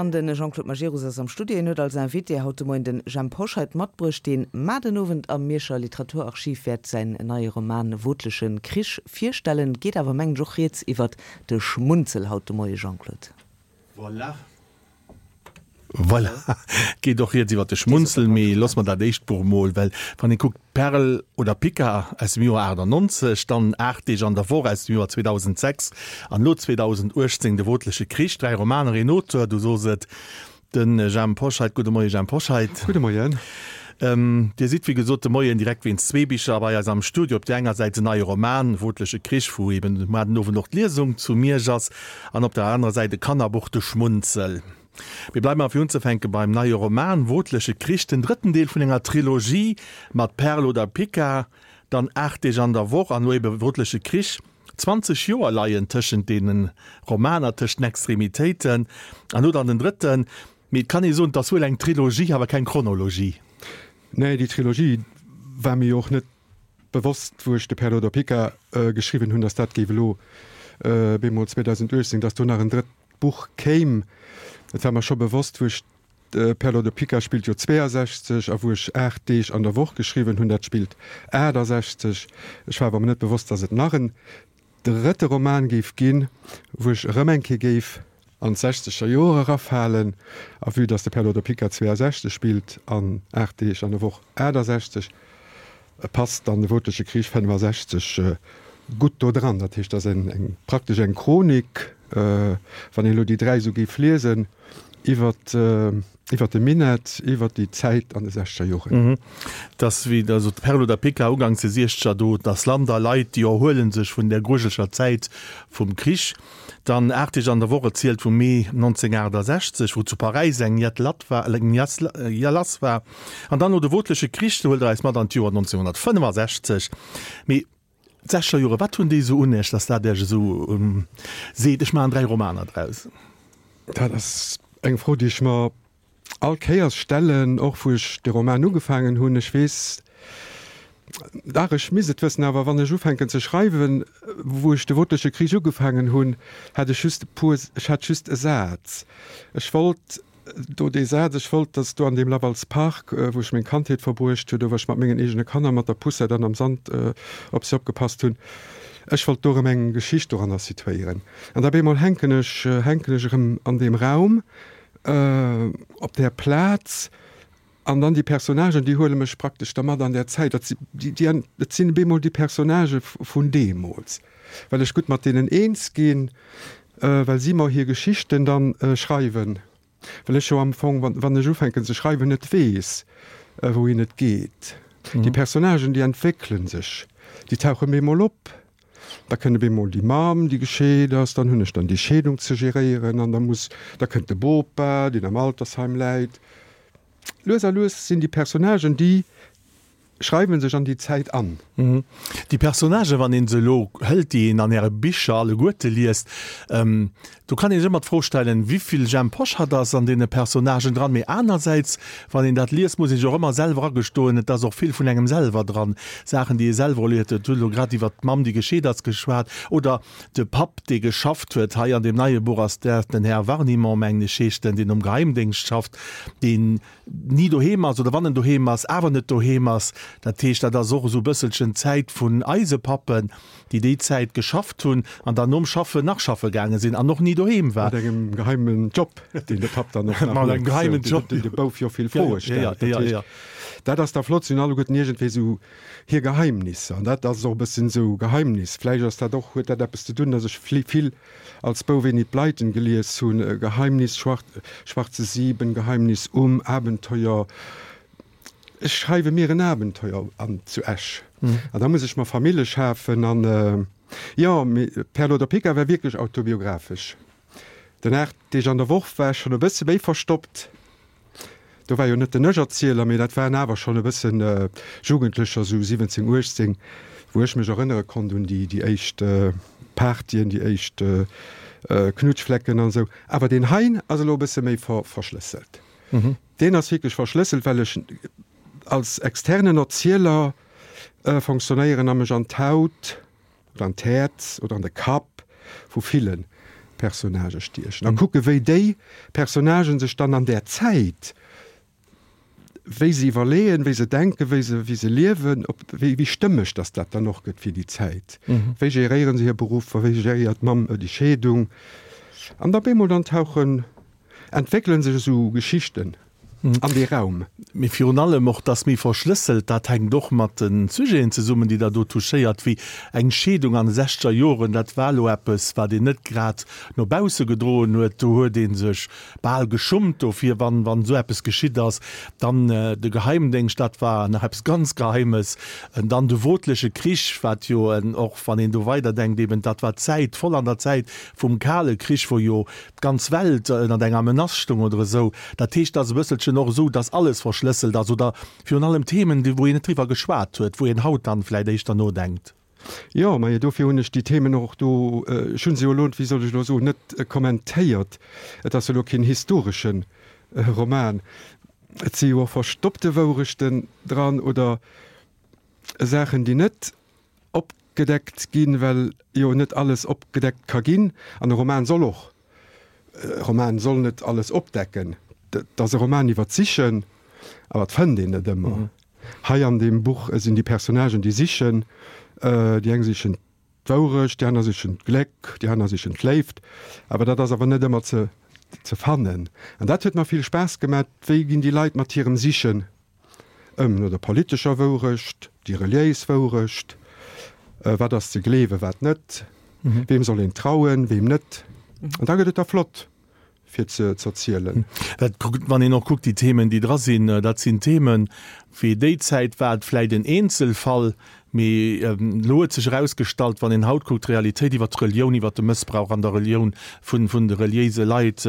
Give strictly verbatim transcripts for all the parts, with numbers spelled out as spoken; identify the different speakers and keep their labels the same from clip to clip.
Speaker 1: An de Jean-Claude Majerus ass am Studio. Hien huet als Invité haut de Moien de Jhemp Hoscheit matbruecht, deen mar den Owend am Mierscher Literaturarchiv wäert säin neie Roman Wootleche Krich virstellen. Geet awer, mengen ech, och rieds iwwert de Schmunzel haut de Moie, Jean-Claude.
Speaker 2: Voilà. Voilà, et geet och rieds iwwer de Schmunzel, mee loosse mer dat éischt Buch emol, well wann ee kuckt, Perl oder Pica aus dem Joer achtannonzeg, dann Aacht Deeg an der Woch aus dem Joer zweedausendsechs an elo zweedausenduechtzéng De wootleche Krich, dräi Romaner, een Auteur, du sos et, de Jhemp Hoscheit. Gudde Moie Jhemp Hoscheit.
Speaker 3: Gudde Moien.
Speaker 2: Dir sidd wéi gesot de Moien direkt wéinst zwee Bicher bei eis am Studio. Op där enger Säit den neie Roman Wootleche Krich, wou eben muar den Owend och d'Liesung zu Miersch ass, an op der anerer Säit e Kannerbuch, De Schmunzel. Mir bleiwen awer fir unzefänke beim neie Roman Wootleche Krich, den drëtten Deel vun enger Trilogie mat Perl oder Pica, dann Aacht Deeg an der Woch an elo ebe Wootleche Krich. Zwanzeg Joer leien tëschent deene Romaner, tëscht den Extremitéiten, an elo dann den drëtten. Mee et kann ee soen, et ass wuel eng Trilogie, awer keng Chronologie.
Speaker 3: Nee, déi Trilogie war mir jo och net bewosst, wou ech de Perl oder Pica geschriwwen hunn, datt dat géif elo bemol zweedausenduechtzéng, datt do nach en drëtt Buch kéim. Et war mer scho bewosst, wou ech Perl oder Pica spillt jo zweeasechzeg a wou ech Aacht Deeg an der Woch geschriwwen hunn, dat spillt aachtasechzeg. Ech war awer mer net bewosst, datt et nach en drëtte Roman géif ginn, wou ech erëm eng Kéier géif an d'sechzeger Joer erafalen. A vue datt de Perl oder Pica zweeasechzeg spillt an Aacht Deeg an der Woch aachtasechzeg, passt dann de Wootleche Krich fënnefasechzeg gutt do dran. Dat heescht, dat ass eng praktesch eng Chronik, wann een elo déi dräi esou géif liesen, iwwer iwwer de Minett, iwwer déi Zäit an de sechzeger Joren.
Speaker 2: Et ass wéi der sot, Perl oder Pica, uganks de siechzeger, do ass Land a Leit, déi erhuele sech vun där grujeleger Zäit vum Krich. Dann Aacht Deeg an der Woch erzielt vum Mee nonzénghunnertaachtasechzeg, wou zu Paräis eng Jett latt war, eng Jass lass war. An dann no de Wootleche Krich, do huelt Der eis mat an d'Joer nonzénghunnertfënnefasechzeg. Mee d'sechzeger Jore, wat hunn déi esou un Iech, dass dat Iech esou seet, ech maachen dräi Romaner draus?
Speaker 3: Dat ass eng Fro, déi ech mer all Kéiers stellen, och wou ech de Roman ugefaangen hunn. Ech weess, dach, ech misst et wëssen, awer wann ech ufänken ze schreiwen, wou ech de Wootleche Krich ugefaangen hunn, hat ech just e puer, ech hat just e Saz. Ech wollt do dee Saz, ech wollt, datt do an deem Lavals Park, wou ech meng Kandheet verbruecht hunn, do wou ech mat mengen eegene Kanner mat der Poussette an am Sand op si opgepasst hunn, ech wollt do erëm eng Geschicht doranner situéieren. An da bemol hänken ech, hänken ech erëm an deem Raum, op där Plaz, an dann déi Personnagen, déi huele mech praktesch da mat an där Zäit. Dat si, déi, déi, dat sinn bemol déi Personnagë vun deemools, well ech gutt mat deenen eens ginn, well si mer hir Geschichten dann schreiwen, well ech jo am Fong, wann, wann ech ufänken ze schreiwen, net weess, wouhin et geet. Déi Personnagen, déi entwéckele sech, déi tauche bemol op. Da kënnt op eemol déi Mamm, déi gescheet ass, dann hunn ech dann déi Scheedung ze geréieren an da muss, da kënnt de Bopa, deen am Altersheim läit. Lues a lues sinn déi Personnagen, déi schreiwe sech an déi Zäit an.
Speaker 2: Déi Personnagen, wann ee se elo hëlt, déi een an Äre Bicher alleguerte liest, do kann ee sech ëmmer d'Fro stellen, Wéivill Jhemp Hoscheit ass an deene Personnagen dran? Mee anersäits, wann een dat liest, muss ee sech och ëmmer selwer agestoen, et ass och vill vun engem selwer dran, Saachen, déi ee selwer erlieft huet. Hutt elo grad iwwert d'Mamm, déi gescheet ass, geschwat, oder de Papp, dee geschafft huet. Hei an deem neie Buch ass dat den Här Warnimont, mengen ech heescht en, deen um Geheimdéngscht schafft, deen ni doheem ass, oder wann en doheem ass, awer net doheem ass. Dat heescht, dat ass och esou e bësselchen d'Zäit vun eise Pappen, déi déi Zäit geschafft hunn an dann nom Schaffen nach schaffe gaange sinn an och ni doheem war.
Speaker 3: Mat engem geheimen Job, deen de Papp dann och nach
Speaker 2: Mat engem geheimen Job,
Speaker 3: deen de Bouf jo vill Froe stellt. Dat heescht, dat ass da flott, si hunn alleguerten iergendwéi esou hir Geheimnisser. An dat ass och e bëssen esou Geheimnis. Vläicht ass dat och, huet dat eppes ze dunn, datt ech vill als Bouf Enid Blyton gelies hunn, Geheimnis, Schwarze Sieben, Geheimnis um, Abenteuer. Ech schreiwe mir en Abenteuer an zu Esch. An da muss ech mer Famille schafen an, jo, mee Perle oder Pica war wierklech autobiographesch. Den Aacht Deeg an der Woch war ech schonn e bësse méi verstoppt. Do war jo net den Ech-Erzieler, mee dat waren awer schonn e bëssen Jugendlecher, sou siwwenzéng, uechtzéng, wou ech mech erënnere konnt un déi déi éischt Partyen, déi éischt Knutschflecken an esou. Awer deen hei ass elo e bësse méi verschlësselt. Deen ass wierklech verschlësselt, well ech als externen Erzieler fonctionnéieren a mech an d'Haut oder an d'Häerz oder an de Kapp vu villen Personnagë stiechen a kucke wéi déi Personnagen sech dann an där Zäit, wéi se iwwerleeën, wéi se denken, wéi se, wéi se liewen, ob, wéi, wéi stëmmeg dass dat dann och gëtt fir déi Zäit. Wéi geréieren se hir Beruffer, wéi geréiert d'Mamm déi Scheedung? An da bemol dann tauchen, entwéckele sech esou Geschichten an dee Raum.
Speaker 2: Mee virun allem och, dass méi verschlësselt, dat hänkt och mat de Sujeten zesummen, déi Der do touchéiert, wéi eng Scheedung an de sechzeger Joren, dat war elo eppes, wat een net grad no bausse gedroen huet. Do huet ee sech bal geschummt dofir, wann, wann esou eppes geschitt ass. Dann de Geheimdéngscht, dat war nach eppes ganz Geheimes. Dann de wotleche Krich, wat jo och, wann een do weiderdenkt, eben dat war d'Zäit, voll an der Zäit vum Kale Krich, wou jo d'ganz Welt ënnert enger Menace stoung oder esou. Dat heescht, et ass e bësselchen och esou, dass alles verschlësselt ass oder virun allem Themen, wou een net driwwer geschwat huet, wou een haut dann vläicht éischter nodenkt.
Speaker 3: Jo, majo, dofir hunn ech déi Themen och do, ech hu se jo elo, wéi soll ech elo soen, net kommentéiert. Et ass jo elo keen historesche Roman. Et si jo och verstoppte Wourechten dran oder Saachen, déi net opgedeckt ginn, well jo net alles opgedeckt ka ginn. An e Roman soll och, e Roman soll net alles opdecken. Et ass e Roman iwwer d'Sichen, awer et fënnt een net ëmmer. Hei an deem Buch sinn déi Personnagen, déi sichen, déi eng sichen d'Wourecht, déi aner sichen d'Gléck, déi aner sichen d'Léift, awer dat ass awer net ëmmer ze ze fannen. An dat huet mer vill Spaass gemat, wéi ginn déi Leit mat hirem Sichen ëm, no der politescher Wourecht, déi reliéis Wourecht, wat ass ze gleewen, wat net, weem soll een trauen, weem net. An da gëtt et da flott. fir ze z'erzielen.
Speaker 2: Dat kuckt, wann een och kuckt, déi Themen, déi dra sinn, dat sinn Themen, wéi déi Zäit war et vläicht en Eenzelfall, mee elo huet sech erausgestallt, wann een haut kuckt, d'Realitéit iwwert d'Relioun, iwwert de Mëssbrauch an der Relioun vun, vun de reliéise Leit,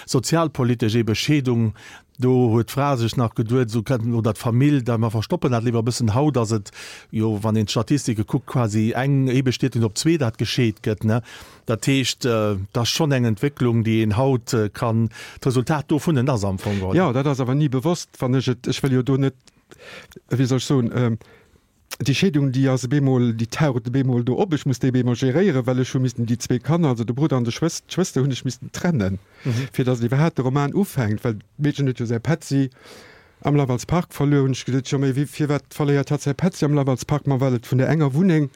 Speaker 2: sozialpolitesch ebe Scheedung, do huet d'Fra sech nach geduet, esou kënnt, oder d'Famill, da mer verstoppen dat léiwer e bëssen. Haut ass et jo, wann een d'Statistike kuckt, quasi eng Eebestietnis op zwee, dat gescheet gëtt, ne. Dat heescht, et ass schonn eng Entwécklung, déi een haut kann, d'Resultat dovunnen ass am Fong geholl.
Speaker 3: Jo, dat ass awer ni bewosst, wann ech et, ech wëll jo do net, wéi soll ech soen, déi Scheedung, déi ass op eemol, déi taucht op eemol do op, ech muss déi op eemol geréieren, well ech hu missten déi zwee Kanner, also de Brudder an de Schwës, d'Schwëster hunn ech missten trennen, fir datt iwwerhaapt de Roman ufänkt, well d'Meedchen huet jo säi Petzi am Laval's Park verluer, hunn ech gesot, jo, mee wéi, firwat verléiert hatt säi Petzi am Laval's Park? Ma well et vun der enger Wunneng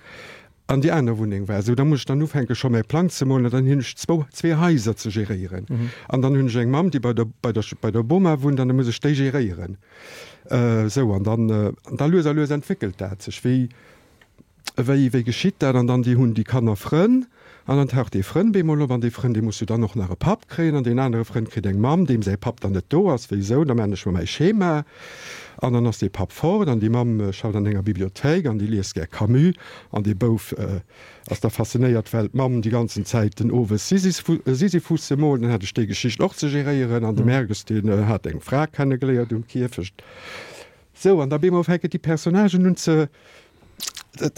Speaker 3: an déi aner Wunneng war. Esou, da muss ech dann ufänke scho mäi Plang ze molen an dann hunn ech zwou, zwee Haiser ze geréieren. An dann hunn ech eng Mamm, déi bei der, bei der, bei der Boma wunnt an da muss ech déi geréieren. Esou, an dann, an da lues a lues entwéckelt dat sech. Wéi, wéi, wéi geschitt dat? An dann déi hunn déi Kanner Frënn an dann taucht dee Frënn bemol op an dee Frënn, dee muss jo dann och nach e Papp kréien an deen anere Frënn kritt eng Mamm, deem säi Papp dann net do ass. Wéi esou? Da maachen ech mer mäi Schema. An dann ass dee Papp fort an déi Mamm schafft an enger Bibliothéik an déi liest gär Camus an dee Bouf ass da faszinéiert, well d'Mamm déi ganzen Zäit den Owes Sisyphusse moolt. Dann hat ech déi Geschicht och ze geréieren an de Merges, deen hat eng Fra kennegeléiert um Kierfecht. Sou, an da bemol fänken déi Personnagen un ze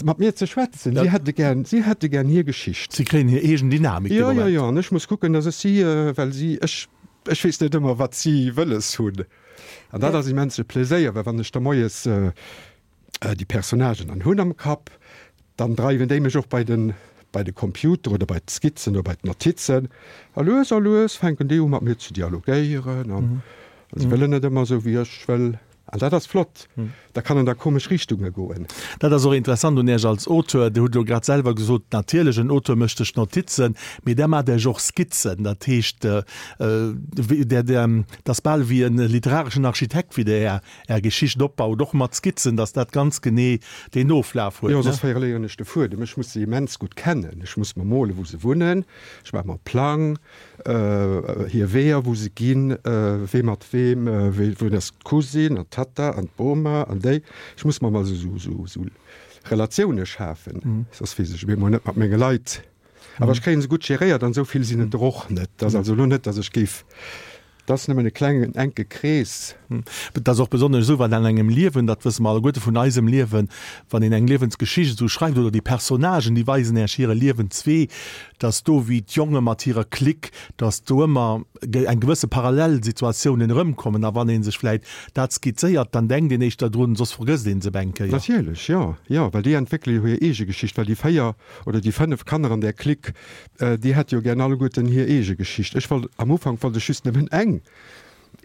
Speaker 3: mat mir ze schwätzen. Si hätte gär, si hätte gär hir Geschicht.
Speaker 2: Si kréien hir eegen Dynamik
Speaker 3: dee Moment. Jo, jo, jo. An ech muss kucken, dass ech si, well si, ech, ech weess net ëmmer, wat si wëlles hunn. An dat ass immens e Pléséier, well wann ech da moies déi Personnagen dann hunn am Kapp, dann dreiwen déi mech och bei den, bei de Computer oder bei d'Skizzen oder bei d'Notizen. A lues a lues fänken déi u mat mir ze dialogéieren an se wëllen net ëmmer esou wéi ech wëll. An dat ass flott, da kann en a komesch Richtunge goen.
Speaker 2: Dat ass och interessant un Iech als Auteur. Dir hutt elo grad selwer gesot, natierlech, en Auteur mécht sech Notizen, mee Der maacht Iech och Skizzen. Dat heescht, Der, Der, dat ass bal wéi e literareschen Architekt, wéi Der Är, Är Geschicht opbaut, och mat Skizzen, dass dat ganz genee deen Oflaf huet,
Speaker 3: Jo,
Speaker 2: ne?
Speaker 3: soss verléieren ech de Fuedem. Ech muss se immens gutt kennen. Ech muss mer molen, wou se wunnen. Ech maache mer e Plang. Hir Weeër, wou se ginn, wee mat weem, wéi, wou ass d'Cousine an d'Tatta an d'Boma an déi. Ech muss mer emol esou, esou, esou Relatioune schafen, soss weess ech op eemol net mat menge Leit. Awer ech kréien se gutt geréiert an esou vill sinn et der och net. Et ass also elo net, datt ech géif Et ass nëmmen e klengen, enke Krees.
Speaker 2: Et ass och besonnesch esou, wann an engem Liewen, dat wësse mer alleguerte vun eisem Liewen, wann een eng Liewensgeschicht esou schreift oder déi Personnagen, déi weisen Iech hire Liewenswee, dass do wéi d'Jonge mat hirer Clique, dass do ëmmer eng gewësse Parallelsituatiounen erëmkommen. A wann ee sech vläit dat skizzéiert, dann denkt een éischter drun, soss vergësst ee se op eng Kéier.
Speaker 3: Natierlech, jo, jo, well déi entwéckele jo hir eege Geschicht, well déi véier oder déi fënnef Kanner an där Clique, déi hätte jo gär alleguerten hir eege Geschicht. Ech wollt, am Ufank wollt ech just nëmmen eng,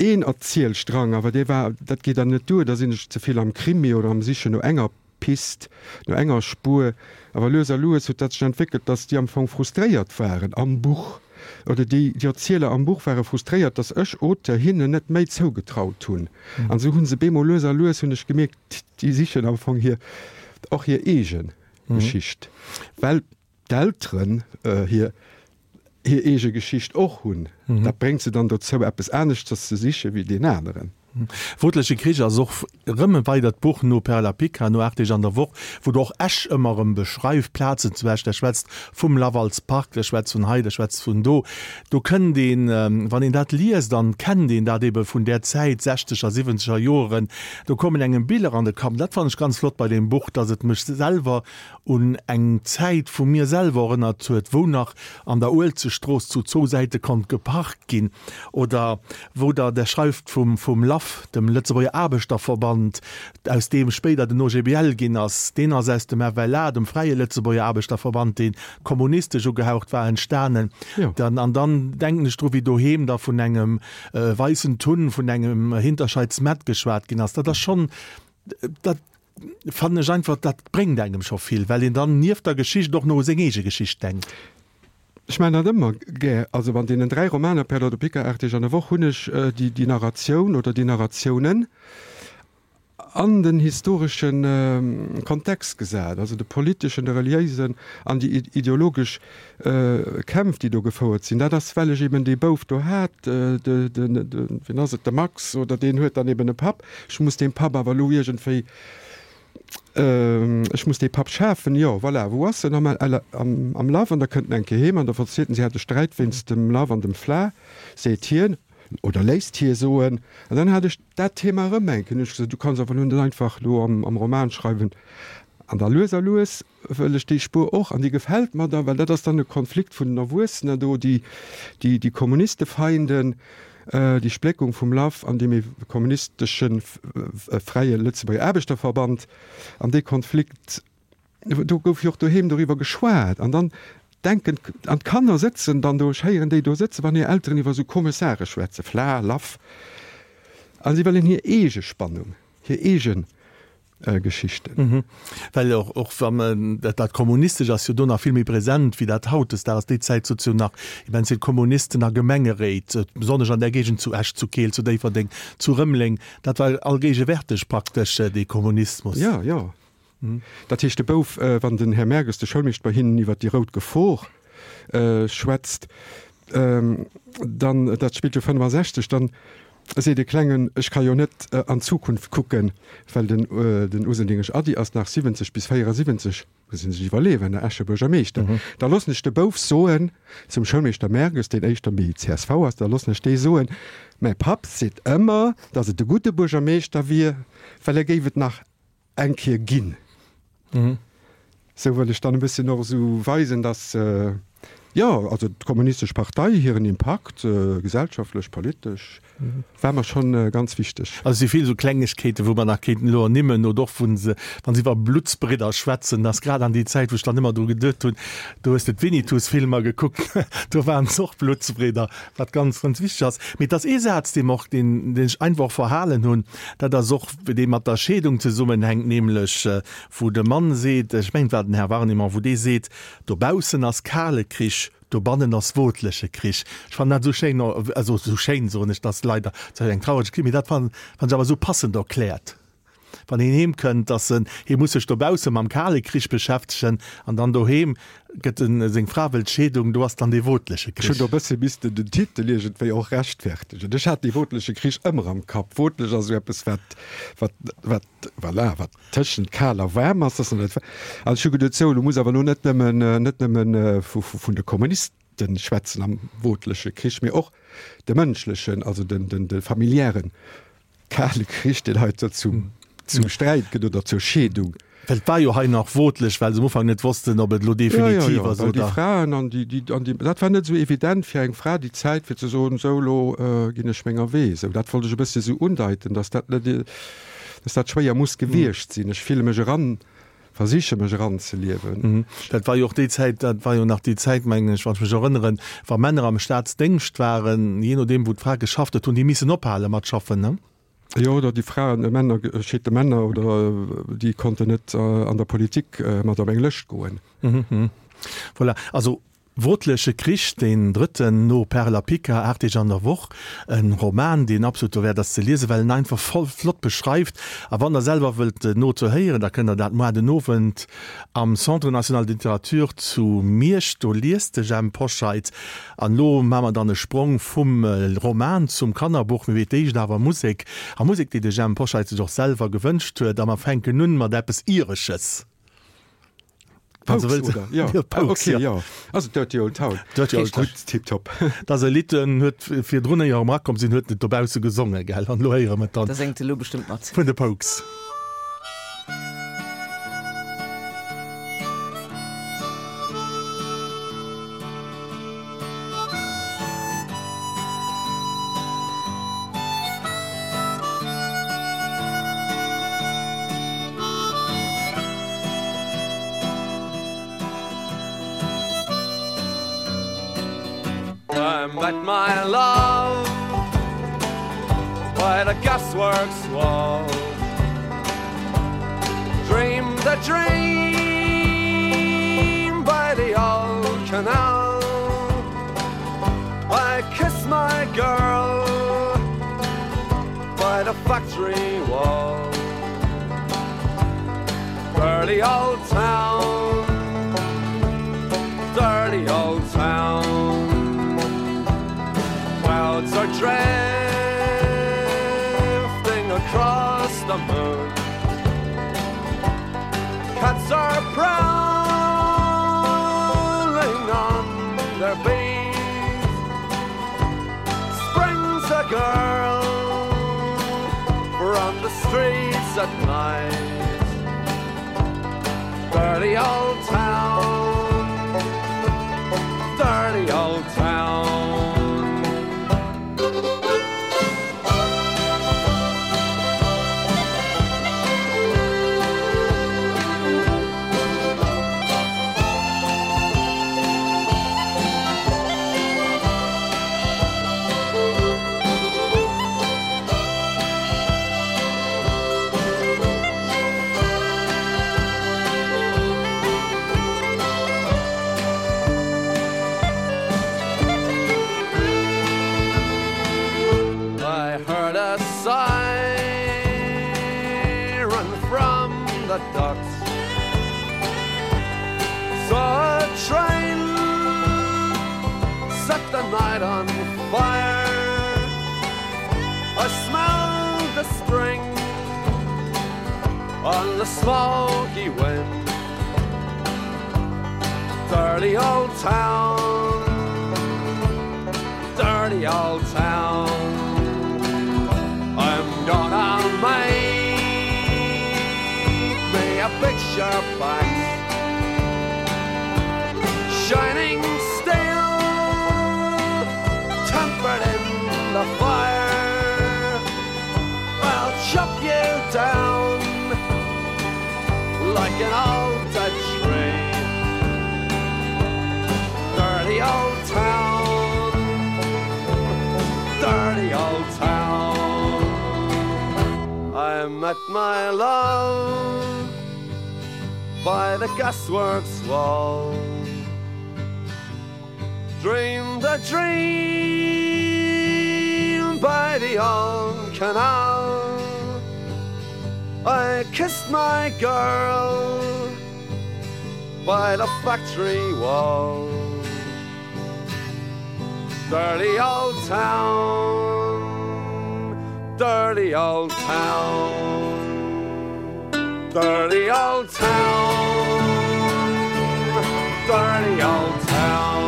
Speaker 3: een Erzielstrang, awer dee war, dat geet dann net duer, da sinn ech ze vill am Krimi oder am Sichen no enger Pist, no enger Spuer. Awer lues a lues huet dat sech entwéckelt, dass déi am Fong frustréiert waren am Buch, oder déi, déi Erzieler am Buch ware frustréiert, dass ech, Auteur, hinnen net méi zougetraut hunn. An esou hu se bemol lues a lues, hunn ech gemierkt, déi sichen am Fong hir, och hir eege Geschicht, well d'Elteren hir hir eege Geschicht och hunn. Dat bréngt se dann dozou, eppes aneschters ze siche wéi deen aneren.
Speaker 2: Wotleche Krich ass och erëm e weidert Buch no Perla Pica, no Aacht Deeg an der Woch, wou der och Esch ëmmer erëm beschreift, Plazen zu Esch. Der schwätzt vum Lavalspark, der schwätzt vun hei, der schwätzt vun do. Do kënnt een, wann een dat liest, an kennt een dat ebe vun där Zäit, sechzeger, siwwenzeger Joren, do kommen engem Biller an de Kapp. Dat fannen ech ganz flott bei deem Buch, dass et mech selwer un eng Zäit vu mir selwer erënnert huet, wou nach an der Uelzechtstrooss zu zwou Säite konnt geparkt ginn oder wou der, der schreift vum, vum LAF, dem Lëtzebuerger Aarbechterverband, aus deem spéider den O G B L ginn ass, deen ass aus dem F L A, dem Fräie Lëtzebuerger Aarbechterverband, dee kommunistesch ugehaucht war, entstanen. Dann, an dann denken ech dru wéi doheem da vun engem weissen Tun, vun engem Hinterscheids Mett geschwat ginn ass. Dat ass schonn, dat fannen ech einfach, dat bréngt engem scho vill, well een dann nieft der Geschicht och nach u seng eege Geschicht denkt.
Speaker 3: Ech maachen dat ëmmer gär. Also an deenen dräi Romaner, Perla de Pica, Aacht Deeg an der Woch, hunn ech déi, déi Narratioun oder déi Narratiounen an den historesche Kontext gesat, also de politeschen, de reliéisen an déi ideologesch Kämpf, déi do gefouert sinn. Dat ass, well ech eben dee Bouf do hat, de, de, de, wien ass et, de Max, oder deen huet dann eben e Papp. Ech muss deem Papp awer elo iergendwéi, ech muss dee Papp schafen, jo, voilà, wou ass en? Am, am, am Laf. An da kënnt en eng Kéier heem an da verzielt en, si hätte Sträit wéinst dem Laf an dem Fla, seet hien, oder léisst hie soen. An dann hat ech dat Thema erëm eng Kéier. Hunn ech gesot, du kanns awer elo net einfach elo am, am Roman schreiwen. An da lues a lues wëll ech déi Spuer och, an déi gefält mer da, well dat ass dann e Konflikt vun den Erwuessenen do, déi, déi, déi Kommunistefeinden, déi Spléckung vum LAF an deem kommunistesche Fräie Lëtzebuerger Aarbechterverband. An dee Konflikt, do gouf jo och doheem doriwwer geschwat. An dann denken, an d'Kanner sëtzen dann do, ech héieren déi do sëtzen, wann hir Elteren iwwer esou komesch Saache schwätzen, Fla, Laf, a si wëllen hir eege Spannung, hir eege Geschichten.
Speaker 2: Well och, och wann dat, dat Kommunistescht ass jo do nach vill méi present wéi dat hautdesdaags ass. Déi Zäit sot jo nach immens vill Kommunisten a Gemengeréit, besonnesch an där Géigend zu Esch, zu Keel, zu Déifferdeng, zu Rëmeleng. Dat war allgéigewärteg praktesch, dee Kommunismus.
Speaker 3: Jo, jo. Dat heescht, de Bouf, wann den Här Merges, de Schoulmeeschter, bei hinnen iwwer déi rout Gefor schwätzt, dann, dat spillt jo fënnefasechzeg, dann seet de Klengen, ech ka jo net an d'Zukunft kucken, well den, den Useldingesch Ady ass nach siwwenzeg bis véierasiwwenzeg, muss een sech iwwerleeën, den Escher Buergermeeschter. Da loossen ech de Bouf soen zum Schoulmeeschter Merges, deen éischter méi C S V ass, da loossen ech dee soen, mäi Papp seet ëmmer, datt et e gudde Buergermeeschter wier, well e géif et nach eng Kéier ginn. Sou wëll ech dann e bësschen och esou weisen, datt, jo, also d'Kommunistesch Partei, hiren Impakt, gesellschaftlech, politesch, war mer schonn ganz wichteg.
Speaker 2: Also et si vill esou Klengegkeeten, wou mer nach kéinten elo ernimmen, oder och wou se, wa se iwwer Bluttsbridder schwätzen, ass grad an déi Zäit, wou ech dann ëmmer dru geduet hunn, do hues de d'Winnetous-Filmer gekuckt, do waren se och Bluttsbridder, wat ganz, ganz wichteg ass. Mee et ass ee Saz, dee mer och, deen, deen ech einfach och verhalen hunn, dat ass och dee mat der Scheedung zesummenhänkt, nämlech wou de Mann seet, ech mengen et war den Här Warnimont, wou dee seet, Dobaussen ass kale Krich, dobannen ass wotleche Krich. Ech fannen dat esou schéin, also esou schéin soen ech, dat ass leider eng traureg Geschicht, mee dat fannen ech awer esou passend erkläert. Wann een heem kënnt, dass en, hie muss sech dobausse mam kale Krich beschäftegen an dann doheem gëtt en, seng Fra wëllt d'Scheedung, do ass dann dee wotleche
Speaker 3: Ech hunn
Speaker 2: Krich.
Speaker 3: do e bësse missten den Titel iergendwéi och rechtfertegen. Ech hat dee wotleche Krich ëmmer am Kapp. Wotlech ass esou eppes, wat, wat, wat, voilà, wat tëschent kal a waarm ass. Dass en net, an ech hu geduet, sou, elo muss awer elo net nëmmen, net nëmmen vu, vun de Kommunisten, schwätzen am wootleche Krich, mee och de mënschlechen, also den, den, de familiären kale Krich, deen hei zum, zum Sträit gëtt oder zur Scheedung.
Speaker 2: Well et war jo hei nach wootlech, well se am Ufank net wossten, ob et elo definitiv ass
Speaker 3: oder. Déi
Speaker 2: Fraen
Speaker 3: an déi, déi, an déi, dat war net esou evident fir eng Fra déi Zäit, fir ze soen, esou elo ginn ech menger Wee. Esou, dat wollt ech e bëssche sou undeiten, dass dat net, dass dat schwéier muss gewiescht sinn. Ech fille mech eran, versiche mech eranzeliewen.
Speaker 2: Dat war jo och déi Zäit, dat war jo nach déi Zäit, mengen ech, wann ech mech erënneren, wa Männer am Staatsdéngscht waren, jee nodeem wou d'Fra geschafft huet, hunn déi missen ophale mat schaffen, ne?
Speaker 3: Jo, oder déi Fraen, Männer, gescheete Männer oder déi konnten net an der Politik mat op eng Lëscht goen.
Speaker 2: Voilà, also Wotleche Krich, deen drëtten no Perl a Pica, Aacht Deeg an der Woch, e Roman, deen absolut dowäert ass ze liesen, well en einfach voll flott beschreift. A wann Der selwer wëllt den Auteur héieren, da kënnt Der dat moar den Owend am Centre national de littérature zu Miersch. Do liest de Jhemp Hoscheit. An elo maache mer dann e Sprong vum Roman zum Kannerbuch, mee wéi d'éischt awer Musek. A Musek, déi de Jhemp Hoscheit sech och selwer gewënscht huet. A mer fänken un mat eppes Iresches. Wann se
Speaker 3: Pogues,
Speaker 2: wëllt.
Speaker 3: oder? Jo.
Speaker 2: Jo,
Speaker 3: Ah,
Speaker 2: Pogues,
Speaker 3: okay,
Speaker 2: jo.
Speaker 3: jo. Also Dirty Old Town.
Speaker 2: Dirty Old Town.
Speaker 3: Gutt, tiptop.
Speaker 2: Dat ass e Lidd, en huet virdrun, éier e erakomm sinn, huet en et dobausse gesongen, gell? An elo héiere mer et dann
Speaker 1: Da séngt e lo bestëmmt mat.
Speaker 2: vun de Pogues.
Speaker 4: I met my love by the gasworks wall Dreamed a dream by the old canal I kissed my girl by the factory wall Dirty old town Dirty old town Clouds are drifting across the moon Cats are prowling on their beat Springs a girl from the streets at night Dirty old town Dirty old town I heard a siren from the docks Saw a train set the night on fire I smelled the spring on the smoky wind Dirty old town Dirty old town I'm gonna make me a picture box Shining steel tempered in the fire I'll chop you down like an old dead tree Dirty old town Dirty old town I met my love by the gasworks wall Dreamed a dream by the old canal I kissed my girl by the factory wall Dirty old town Dirty old town Dirty old town Dirty old town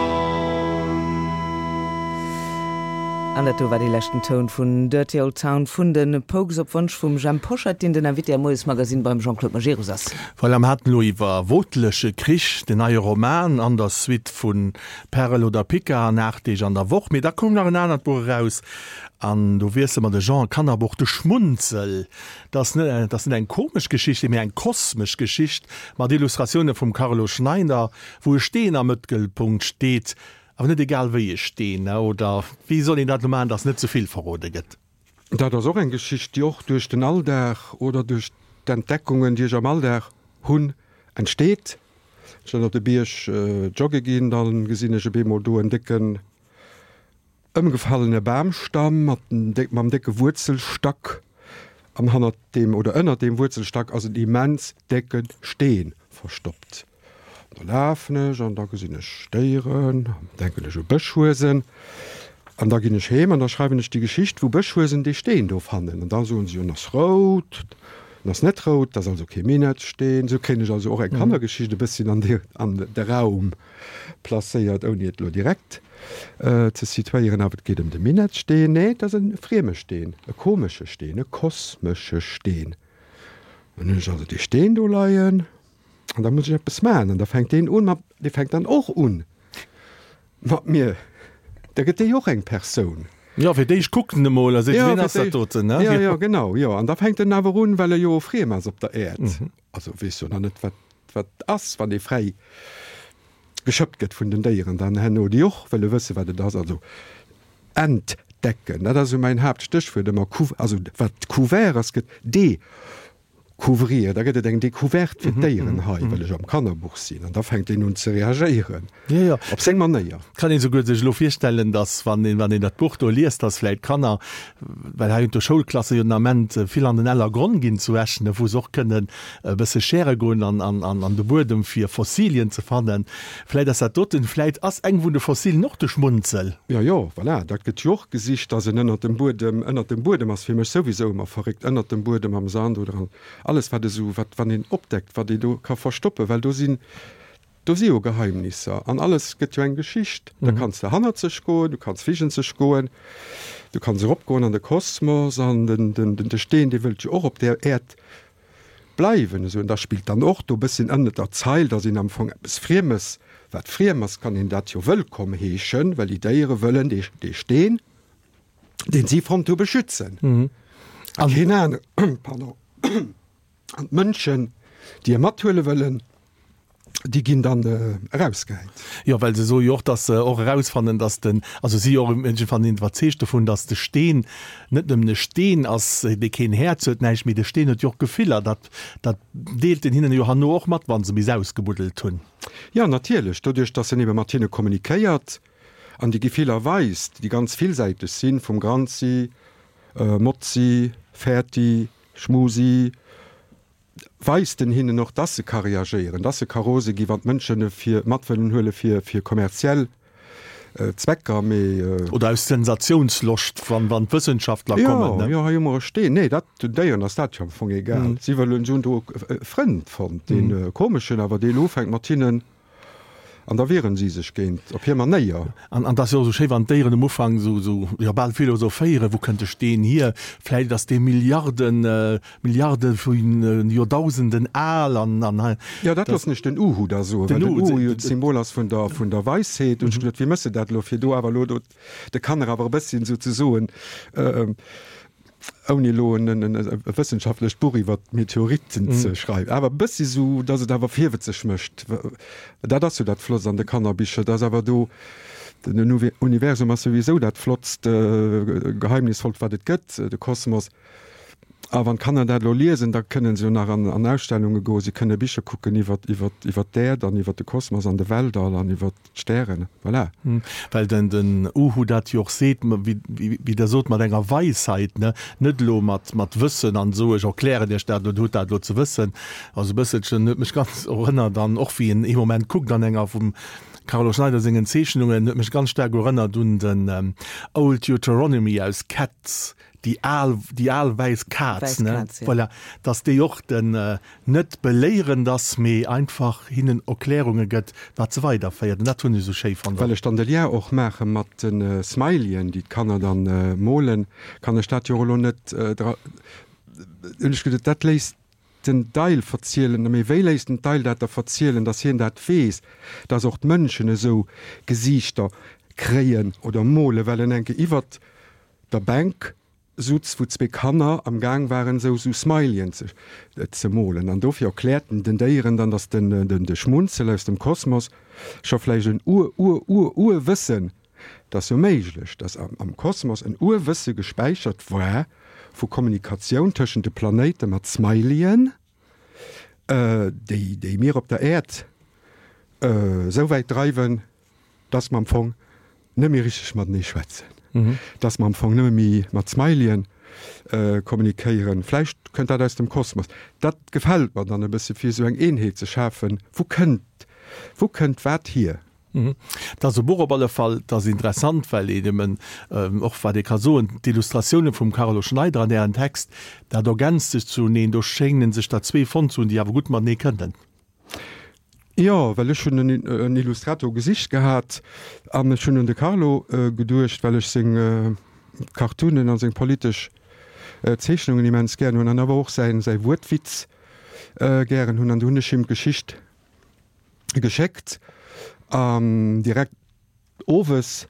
Speaker 1: An dat do war dee leschten Toun vun Dirty Old Town vun de Pogues op Wonsch vum Jhemp Hoscheit, deen den Invité am Moiesmagazine beim Jean-Claude Majerus ass.
Speaker 2: Voilà, mer haten elo iwwer Wootleche Krich, den neie Roman an der Suite vu Perl oder Pica an Aacht Deeg an der Woch. Mee da koum nach en anert Buch eraus an do wiessele mer de Genre, Kannerbuch, De Schmunzel. Dat ass net, dat ass net eng komesch Geschicht, mee eng kosmesch Geschicht mat Illustratioune vum Carlo Schneider, wou e Steen am Mëttelpunkt steet. Awer net egal wéi e Steen, oder wéi soll een dat elo maachen, dass net ze vill verrode gëtt?
Speaker 3: Dat ass och eng Geschicht, déi och duerch den Alldag oder duerch d'Entdeckungen, déi ech am Alldag hunn, entsteet. Ech dann op de Bierg jogge ginn, da gesinn ech op eemol do en décken ëmgefallene Bamstamm mat mam décke Wuerzelstack an hannert deem oder ënnert deem Wuerzelstack ass en immens décke Steen verstoppt. Da lafen ech an da gesinn ech Déieren, denken ech u Bëschhuesen. An da ginn ech heem an da schreiwen ech déi Geschicht, wou Bëschhuesen dee Steen do fannen. An da soen se jo, en ass rout, en ass net rout, dat ass also kee Minettsteen. Esou kréien ech also och eng Kannergeschicht e bësschen an de, an de Raum placéiert, ouni et elo direkt ze situéieren. Awer et geet ëm de Minettsteen. Nee, et ass e frieme Steen, e komesche Steen, e kosmesche Steen. Dann hunn ech also dee Steen do leien. An da muss ech eppes maachen. An da fänkt deen un mat, dee fänkt dann och un mat mir, da gëtt dee jo och eng Persoun.
Speaker 2: Jo, fir d'éischt kuckt en emol a seet,
Speaker 3: Ja,
Speaker 2: Wien
Speaker 3: fir
Speaker 2: ass dat
Speaker 3: d'éischt,
Speaker 2: doten, ne?
Speaker 3: ja, ja, genau, jo. An da fänkt en awer un, well e jo friem ass op der Äerd, also weess jo nach net, wat, wat ass, wann ee fräi geschëppt gëtt vun den Déieren dann herno, déi och wëlle wësse wat et ass. Also entdecken, dat ass esou mäin Haaptstéchwuert ëmmer, cou, also wat couvert ass, gëtt de Couvrir, da gëtt et eng Decouverte fir d'Déieren hei, well ech am Kannerbuch sinn, an da fänkt een un ze reagéieren op seng Manéier.
Speaker 2: Kann een souguer sech elo virstellen, datt wann een, wann een dat Buch do liest, datt vläit d'Kanner, well hei hunn d'Schoulklasse jo den Ament vill an den Ellergronn ginn zu Esch, ne, wou se och kënnen e bësse schäre goen an, an, an de Buedem fir Fossilien ze fannen. Vläit ass dat doten, vläit ass eng vun de Fossilien och de Schmunzel.
Speaker 3: Jo, jo, voilà, dat gëtt jo och gesicht, datt en ënnert dem Buedem, ënnert dem Buedem ass fir mech souwisou ëmmer verréckt, ënnert dem Buedem am Sand oder an, Alles wat esou, wat wann een opdeckt, wat ee do ka verstoppen, well do sinn, do si jo Geheimnisser an alles gëtt jo eng Geschicht. Da kanns de hannerzeg goen, du kanns virenzeg goen, du kanns eropgoen an de Kosmos an den, den, den, de Steen, dee wëllt jo och op där Äerd bleiwen esou. An da spillt dann och do e bësschen ënnert der Zeil, datt een am Fong eppes Friemes, wat friem ass, kann een dat jo wëllkomm heeschen, well déi Déiere wëllen dee, dee Steen, deen si fonnt hu, beschützen. A keen anere, pardon, an d'Mënschen, déi e mathuele wëllen, déi ginn dann erausgehäit.
Speaker 2: Jo, well se soe jo och, datt se och erausfannen, datt den, also si jo och iergendwann iwwerzeegt dovun, datt de Steen net nëmmen e Steen ass, dee keen Häerz huet, näischt, mee de Steen huet jo och Gefiller. Dat, dat deelt en hinnen jo herno och mat, wa se bis ausgebuddelt hunn.
Speaker 3: Jo, natierlech, doduerch, datt en ebe mat hinne kommunikéiert an déi Gefiller weist, déi ganz villsäiteg sinn, vum Granzi, Motzi, Fäerti, Schmusi, weist en hinnen och, dass se ka reagéieren, dass se ka rose ginn, wann d'Mënschen e fir mat wëllen huele fir fir kommerziell Zwecker, mee.
Speaker 2: Oder aus Sensationsloscht, wann wann d'Wëssenschaftler kommen,
Speaker 3: ne? Jo, jo, hei hu mer e Steen. Nee, dat, den Déieren ass dat jo am Fong egal. Si wëllen, si hunn do e Frënd fonnt, dee komeschen, awer dee elo ufänkt mat hinnen An da wieren si sech géint, op hir Manéier.
Speaker 2: An et ass jo och esou schéi, wann d'Déieren um Ufank esou, esou, jo, bal philosophéieren, Wou kënnt de Steen hier? Vläicht ass dee Milliarden, Milliarde vu Joerdausenden al an, an hei.
Speaker 3: Jo, dat loossen ech den Uhu da soen, well den Uhu jo d'Symbol ass vun der, vun der Weisheet. Hunn ech geduet, wéi méchs de dat elo, fir do awer elo do de Kanner awer e bësschen souzesoen, ouni elo e wëssenschaftlecht Buch iwwer d'Meteoritten ze schreiwen, awer e bëssi sou, datt et awer virwëtzeg mécht. Dat ass jo dat Flottst an de Kannerbicher, datt awer do, den Universum ass souwisou dat flottst, geheimnisvollt, wat et gëtt, de Kosmos. A wann d'Kanner dat elo liesen, da kënne se jo nach an Ausstellunge goen, si kënne Bicher kucken iwwer d'Äerd an iwwer de Kosmos an de Weltall an iwwer D'Stären, voilà.
Speaker 2: Well den den Uhu dat jo och seet, wéi Der sot, mat enger Weisheit, ne, net elo mat mat Wëssen an esou, ech erklären Iech dat elo, Dir hutt dat elo ze wëssen. Also e bësselchen huet mech ganz erënnert an och wéi en ee Moment kuckt an enger vum Carlo Schneider sengen Zeechnungen, huet mech ganz staark erënnert un den Old Deuteronomy aus Cats, déi al, déi al wäiss Kaz, ne, voilà, dass déi och den net beléierend ass, mee einfach hinnen Erklärunge gëtt, wat se weiderféiert. An dat hunn ech esou schéi fonnt.
Speaker 3: Well ech dann de Lien och maache mat de Smileyen, déi d'Kanner dann molen, kann ech dat jo och elo net dra, hunn ech geduet, dat léisst den Deil verzielen. Mee wéi léisst den Deil dat da verzielen, dass hien dat weess, dass och d'Mënschen esou Gesiichter kréien oder molen, well en enke iwwert der Bänk sutz, wou zwee Kanner am Gaang waren esou sou Smileyen ze ze molen. An dofir erkläert en den Déieren dann, dass den den de Schmunzel aus dem Kosmos scho vläicht en Ur-Ur-Ur-Urwëssen, 't ass jo méiglech, dass am am Kosmos en Urwësse gespäichert war vu Kommunikatioun tëschent de Planéite mat Smileyen, déi déi mir op der Äerd esou wäit dreiwen, dass mer am Fong net méi richteg matenee schwätzen, dass mer am Fong nëmme méi mat Smileyen kommunikéieren. Vläicht kënnt dat aus dem Kosmos. Dat gefält mer dann e bësse fir esou eng Eenheet ze schafen. Wou kënnt, wou kënnt wat hier?
Speaker 2: Et ass e Buch op alle Fall, et ass interessant, well een eben och, wat ee ka soen, d'Illustratioune vum Carlo Schneider an Ären Text, dat ergänzt sech zuneen. Do schéngen sech der zwee fonnt ze hunn, déi awer gutt matenee kënnen.
Speaker 3: Jo, well ech hunn en Illustrator gesicht gehat an ech hunn un de Carlo geduecht, well ech seng Cartoonen a seng politesch Zeechnungen immens gären hunn an awer och säi säi Wuertwitz gären hunn. An du hunn ech him d'Geschicht geschéckt an direkt owes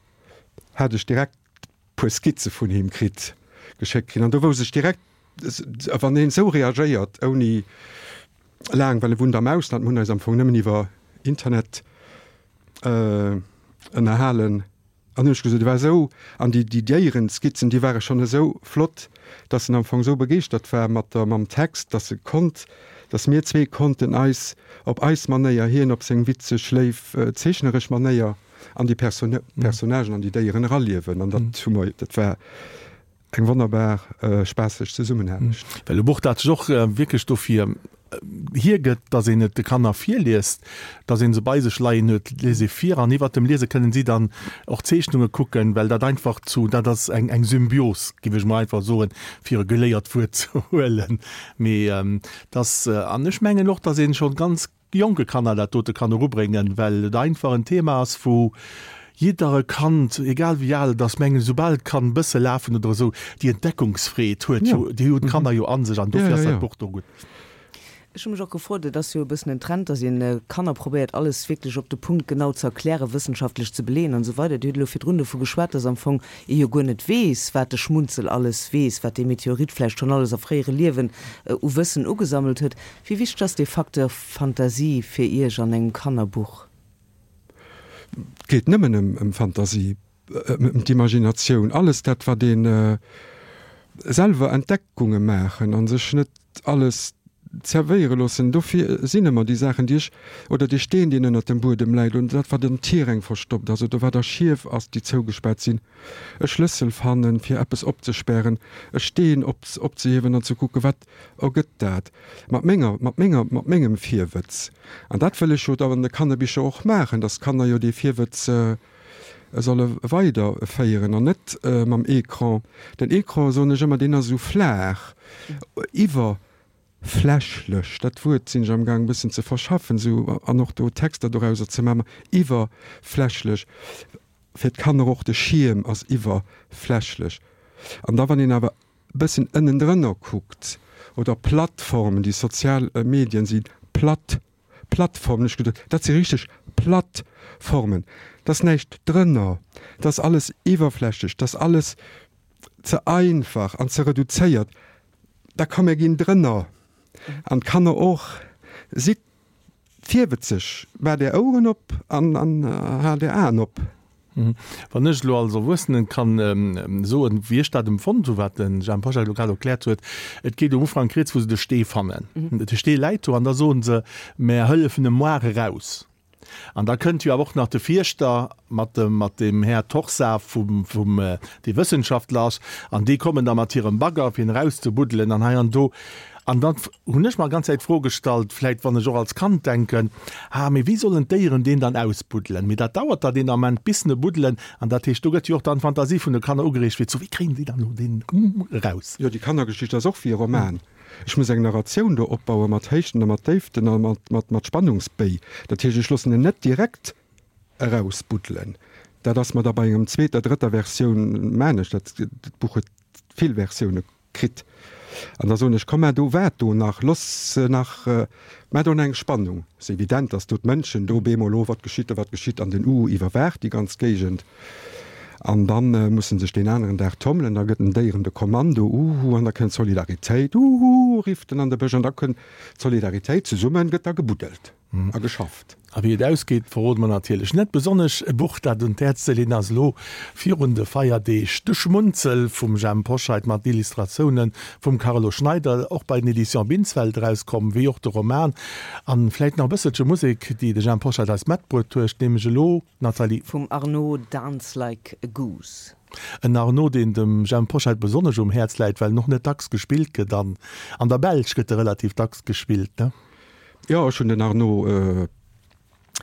Speaker 3: hat ech direkt puer Skizze vun him kritt, geschéckt kritt. An do wousst ech direkt, wann een esou reagéiert, ouni laang, well e wunnt am Ausland, mir hunn eis am Fong nëmmen iwwer Internet ënnerhalen, an hunn ech gesot, e war esou, an déi déi Déierenskizzen, déi ware schonn esou flott, datt en am Fong esou begeeschtert war mat der mam Text, datt e konnt, datt mir zwee konnten eis op eis Manéier, hien op seng witzeg, léif, zeechneresch Manéier, an déi Personnagen an déi Déieren eraliewen. An dat hu mer, dat war eng wonnerbar spaasseg Zesummenaarbecht.
Speaker 2: Well e Buch, dat sech och wierklech dofir hiergëtt, dass een et de Kanner virliest, dass ee se bei sech leien huet, lies ee vir an iwwert dem Liese kënnen si dann och Zeechnunge kucken, well dat einfach zu, dat ass eng eng Symbios, géif ech mol einfach soen, fir e geléiert Wuert ze huelen. Mee dass, an ech mengen och, dass ee scho ganz jonke Kanner dat dote kann erubréngen, well et einfach en Thema ass, wou jiddere Kand, egal wéi al et ass, mengen ech, soubal et kann e bësse lafen oder esou, déi Entdeckungsfreed huet jo, déi hunn d'Kanner jo a sech an dofir ass dat Buch do gutt.
Speaker 1: Ech hu mech och gefrot, et ass jo e bëssen en Trend, datt een Kanner probéiert alles wierklech op de Punkt genau ze erklären, wëssenschaftlech ze beleeën an esou weider. Dir hutt elo virdrun dovu geschwat, datt am Fong ee jo guer net weess, wat de Schmunzel alles weess, wat dee Meteorit vläicht schonn alles a fréiere Liewen u Wëssen ugesammelt huet. Wéi wichteg ass dee Facteur Fantasie fir Iech an engem Kannerbuch?
Speaker 3: Et geet nëmmen ëm Fantasie, ëm d'Imaginatioun, alles dat, wat ee selwer Entdeckunge maachen a sech net alles zerwéiere loossen. Dofir sinn ëmmer déi Saachen, déi ech, oder dee Steen, deen ënnert dem Buedem läit, oder dat, wat an Tiräng verstoppt ass, oder wat a Schief ass, déi zougespaart sinn, e Schlëssel fannen, fir eppes opzespären, e Steen op, opzehiewen an ze kucken, wat ergëtt dat mat menger, mat menger, mat mengem Virwëtz. An dat wëll ech jo da an de Kannerbicher och maachen, dass d'Kanner jo dee Virwëtz solle weiderféieren an net mam Ecran. Den Ecran, soen ech ëmmer, deen ass esou flaach, iwwer. Flächlech, dat Wuert sinn ech am Gaang e bëssen ze verschaffen, esou, an och do Texter dorauser ze maachen, iwwerflächlech, fir d'Kanner och, de Schierm ass iwwerflächlech. An da wann een awer e bëssen ënnendrënner kuckt, oder Plattformen, déi sozial Medien si platt Plattformen, ech geduet, dat si richteg Plattformen, et ass näischt drënner, et ass alles iwwerflächlech, et ass alles ze einfach an ze reduzéiert. Da komm mir ginn drënner an d'Kanner och. Sidd virwëtzeg, maacht är Oueren op an haalt är Aen op.
Speaker 2: Wann ech elo als Erwuessenen kann soen, wéi ech dat empfonnt hu wat de Jhemp Hoscheit elo grad erkläert huet, et geet um Ufank rieds, wou se de Stee fannen. De Stee läit do an da soen se, Mär hëllefen e moar eraus. An da kënnt jo awer och nach de Fierschter mat dem, mat dem Här Torsa vum, vum, dee Wëssenschaftler ass, an déi kommen da mat hirem Bagger, fir en erauszebuddelen an hei an do. An dann hunn ech mer ganz Zäit d'Fro gestallt, vläit wann ech och als Kand denken, ah mee wéi sollen d'Déieren deen dann ausbuddelen? Mee dat dauert da deen Ament bis se buddelen an dat heescht do gëtt jo och dann d'Fantasie vun de Kanner ugereegt fir zu wéi kréien déi dann elo deen eraus?
Speaker 3: Jo, déi Kannergeschicht ass och wéi e Roman. Ech muss eng Narratioun do opbaue mat Héichten a mat Déiften a mat, mat, mat Spannungsbéi. Dat heescht, ech loossen en net direkt erausbuddelen. Dat ass mer da bei engem zweeter, drëtter Versioun, man ech dat, d'Buch huet vill Versioune kritt. An da soen ech, komm, mä do waart do nach, looss se nach, mä do eng Spannung. Et ass evident, datt do d'Mënschen do bemol, oh, wat geschitt do, wat geschitt, an den Uhu iwwerwaacht déi ganz Géigend. An da musse sech deen aneren Dag tommelen, da gëtt den Déieren de Kommando, Uhu, an da kënnt d'Solidaritéit, Uhu, rifft en an de Bësch, an da kënnt d'Solidaritéit, zesumme gëtt da gebuddelt a geschafft.
Speaker 2: A wéi et ausgeet, verrode mer natierlech net. Besonnesch e Buch, dat un d'Häerz ze leeën ass, elo virun de Feierdeeg, De Schmunzel vum Jhemp Hoscheit mat Illustratioune vum Carlo Schneider, och bei den Editions Binsfeld erauskomm, wéi och de Roman. A vläicht nach e bësselche Musek, déi de Jhemp Hoscheit eis matbruet huet, nämlech elo, Nathalie.
Speaker 1: Vum Arnaud, Dance like a goose.
Speaker 2: En Arnaud, deen dem Jhemp Hoscheit besonnesch um Häerz läit, well en och net dacks gespillt gëtt. An an der Belsch gëtt e relativ dacks gespillt, ne?
Speaker 3: Jo, ech hunn den Arnaud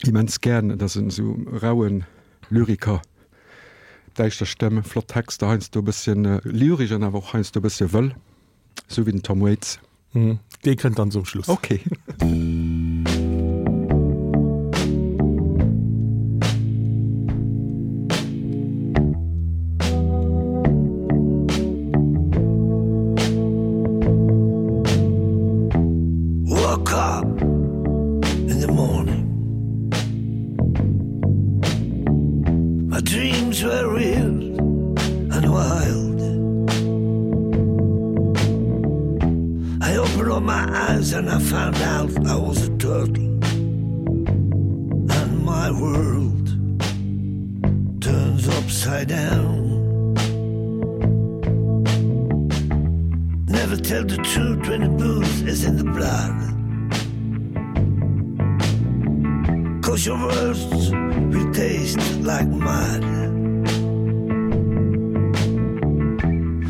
Speaker 3: immens gären. Et ass en esou rauen Lyriker, däischter Stëmm, flott Texter, heiansdo e bësschen lyresch an awer och heiansdo e bëssche wëll, esou wéi den Tom Waits.
Speaker 2: Dee kënnt dann zum Schluss.
Speaker 3: Ok.
Speaker 4: Woke up in the morning My dreams were real and wild I opened up my eyes and I found out I was a turtle And my world turns upside down Never tell the truth when the booze is in the blood Cause your words will taste like mud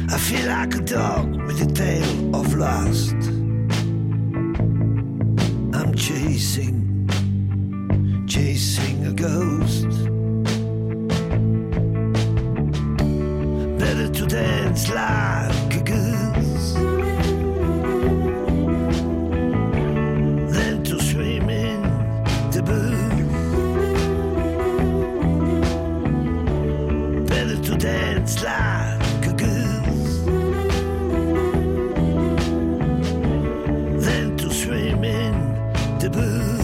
Speaker 4: I feel like a dog with a tail of lust I'm chasing, chasing a ghost Better to dance like a goose Than to swim in the booze Better to dance like a goose Than to swim in the booze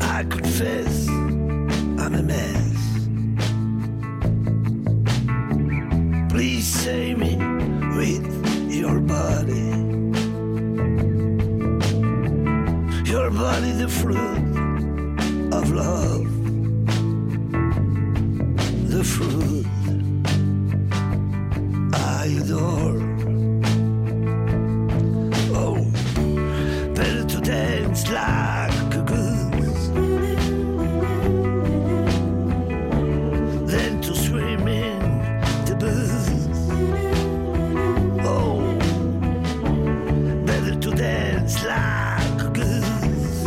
Speaker 4: I confess I'm a mess Please save me with your body Your body the fruit of love The fruit I adore Oh better to dance like a goose Than to swim in the booze Oh better to dance like a goose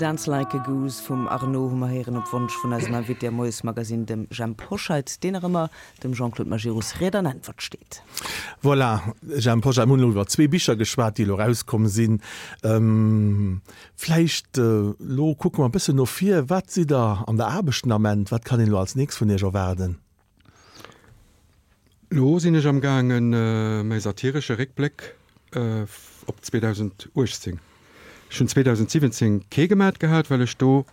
Speaker 1: Dance Like a Goose vum Arno hu mer héieren op Wonsch vun eisem Invité am Moiesmagazine, dem Jhemp Hoscheit, deen nach ëmmer dem Jean-Claude Majerus Ried an Äntwert steet.
Speaker 2: Voilà, Jhemp Hoscheit, mir hunn elo iwwer zwee Bicher geschwat, déi elo erauskomm sinn. Vläicht elo kucke mer e bëssen no vir. Wat sidd Der an der Aarbecht den Ament? Wat kann een elo als nächst vun Iech erwaarden?
Speaker 3: Elo sinn ech am gaangen, mäi satiresche Réckbléck op zweedausenduechtzéng. Ech hunn zweedausensiwwenzéng kee gemat gehat, well ech do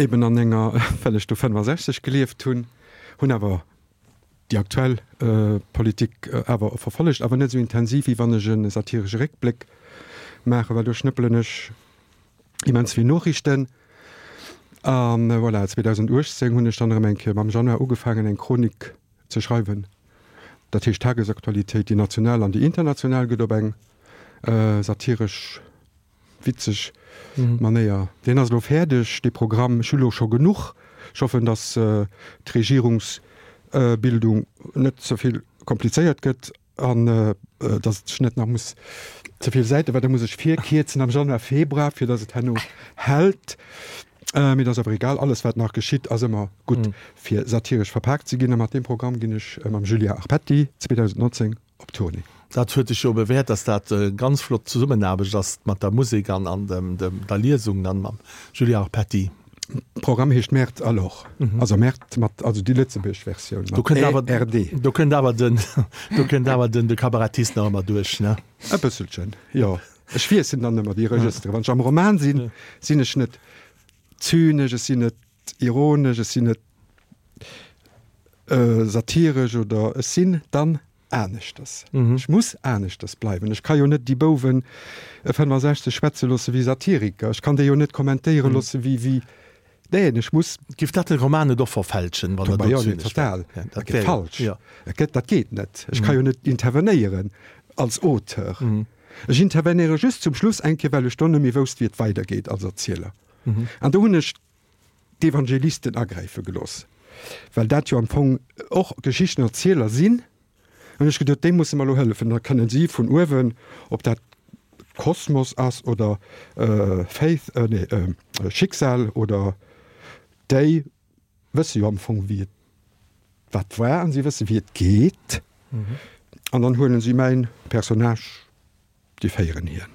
Speaker 3: eben an enger, well ech do fënnefasechzeg gelieft hunn, hunn awer déi aktuell Politik awer verfollegt, awer net esou intensiv, wéi wann ech e satiresche Réckbléck maachen, well do schnëppelen ech immens vill Noriichten. A voilà, zweedausenduechtzéng hunn ech dann erëm eng Kéier am Januar ugefaangen, eng Chronik ze schreiwen. Dat heescht, d'Tagesaktualitéit, déi national an déi international, gëtt op eng satiresch, witzeg Manéier. Deen ass elo fäerdeg, dee Programm. Ech hu elo scho genuch. Ech hoffen, datt d'Regierungsbildung net ze vill komplizéiert gëtt an datt ech net nach muss ze vill Säiten, well da muss ech virkierzen am Januar, Februar, fir datt et herno hält. Mee dat ass awer egal, alles wat nach geschitt ass ëmmer gutt fir satiresch verpaakt ze ginn. A mat deem Programm ginn ech mam Julien Arpetti zweedausendnonzéng op Tournée.
Speaker 2: Dat huet sech jo bewäert, dass dat e ganz flott Zesummenaarbecht ass mat der Musek an an dem der Liesung dann mam Julien Arpetti.
Speaker 3: Programm heescht Merde alors, also Merde mat, also déi lëtzebuergesch Versioun
Speaker 2: mat E R D. Do kënnt awer den, do kënnt awer den de Kabarettist nach ëmmer duerch, ne?
Speaker 3: E bësselchen, jo. Ech wiesselen dann ëmmer déi Regëstere. Wann ech am Roman sinn, sinn ech net zynesch, ech sinn net ironesch, ech sinn net satiresch oder ech sinn dann aneschters. Ech muss aneschters bleiwen. Ech ka jo net déi Bouwen fënnefasechzeg schwätze loosse wéi Satiriker. Ech kann déi jo net kommentéiere loosse wéi, wéi, neen, ech muss.
Speaker 2: Giff dat de Roman net och verfälschen,
Speaker 3: wann Der do zynesch wär? Total. Dat gëtt falsch. Dat gëtt, dat geet net. Ech ka jo net intervenéieren als Auteur. Ech intervenéiere just zum Schluss eng Kéier, well ech do net méi wousst, wéi et weidergeet als Erzieler. An do hunn ech d'Evangelisten agräife gelooss, well dat jo am Fong och Geschichtenerzieler sinn. Hunn ech geduet, déi musse mer elo hëllefen, da kënnen si vun uewen, ob dat Kosmos ass oder Faith, nee, Schicksal oder déi wësse jo am Fong wéi et wat war an si wësse wéi et geet an dann huelen si mäin Personnage, déi féieren hien.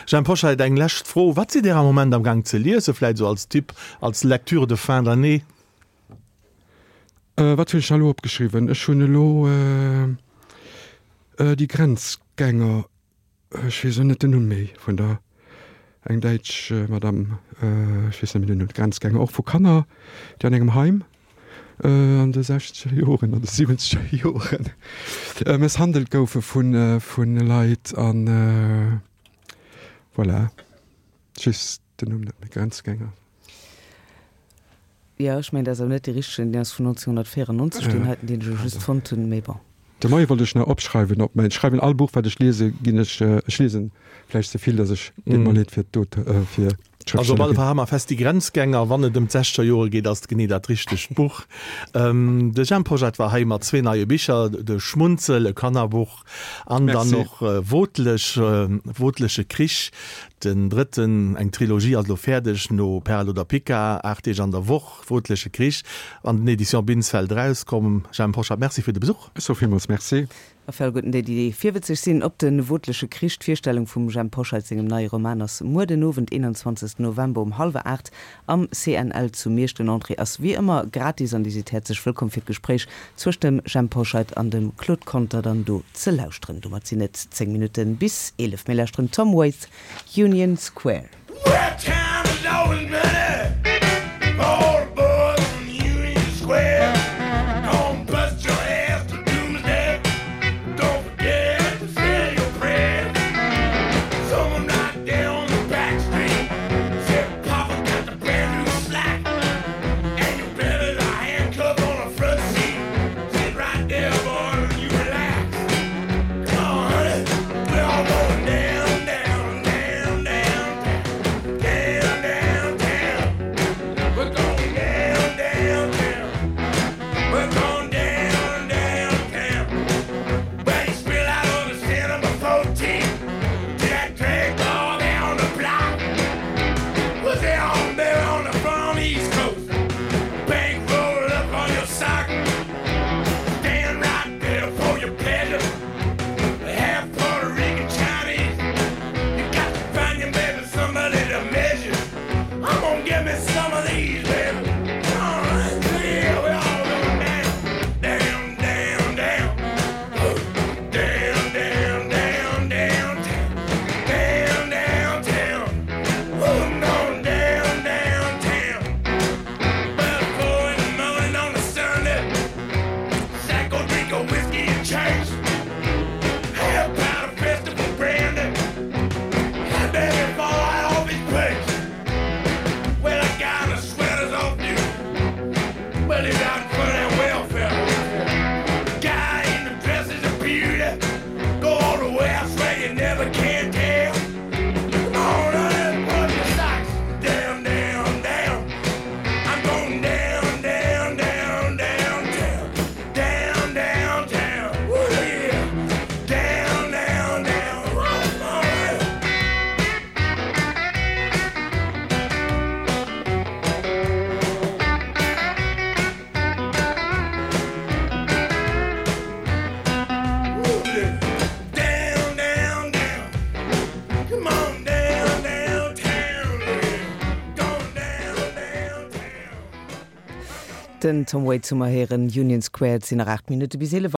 Speaker 2: Jhemp Hoscheit, eng lescht Fro, Wat sidd Dir am Moment am Gaang ze liesen, vläit esou als Tipp, als Lecture de fin d'année?
Speaker 3: Wat hunn ech da elo opgeschriwwen? Ech hunn elo Die Grenzgänger, ech weess elo net den Numm méi vun der, eng däitsch Madame, ech weess net méi den Numm, Grenzgänger, och vu Kanner, déi an engem Heim an de sechzeger Joren, an de siwwenzeger Joren mësshandelt goufe vu Leit an voilà, ech weess den Numm net méi, Grenzgänger.
Speaker 1: Jo, ech mengen, dat ass awer net dee richtegen, deen ass vun nonzénghunnertvéierennonzeg, deen heiten, deen ech elo just fonnt hunn, mee bon.
Speaker 3: De Moie wollt ech nach opschreiwen op mäin, ech schreiwen all Buch wat ech liese ginn ech, ech liesen vläicht ze vill, datt ech, deet mer leed fir d'Aut, fir
Speaker 2: Also op alle Fall hale mer fest, Die Grenzgänger, wann et ëm d'sechzeger Jore geet, ass et genee dat richtegt Buch. De Jhemp Hoscheit war hei mat zwee neie Bicher, De Schmunzel, e Kannerbuch, an dann och Wotlech, Wotleche Krich, den drëtten, eng Trilogie ass elo fäerdeg, no Perl oder Pica, Aacht Deeg an der Woch, Wotleche Krich, an den Editions Binsfeld erauskomm. Jhemp Hoscheit, Merci fir de Besuch.
Speaker 3: Ech soe villmools Merci.
Speaker 1: A fir alleguerten déi, déi virwëtzeg sinn op de Wotleche Krich, d'Virstellung vum Jhemp Hoscheit sengem neie Roman ass muer den Owend, eenanzwanzegsten November um hallwer aacht am C N L zu Miersch. Den Entrée ass wéi ëmmer gratis an Dir sidd häerzlech wëllkomm fir d'Gespréich zwëscht dem Jhemp Hoscheit an dem Claude Conter dann do ze lauschteren. Domat sinn et zéng Minutte bis eelef. Mir lauschteren Tom Waits, Union Square. Well, time is always money for the boys on Union Square. Gonna bust your ass to doomsday. Don't forget to say your prayers. Someone right there on the back street said Papa got the brand new slack. And your baby's a handcuff on the front seat. Sit right there, boy, and you relax. Come on, honey, we're all going down, down, down, down, down, Den Tom Waits hu mer héieren, Union Square. Et sinn nach aacht Minutte bis eelef.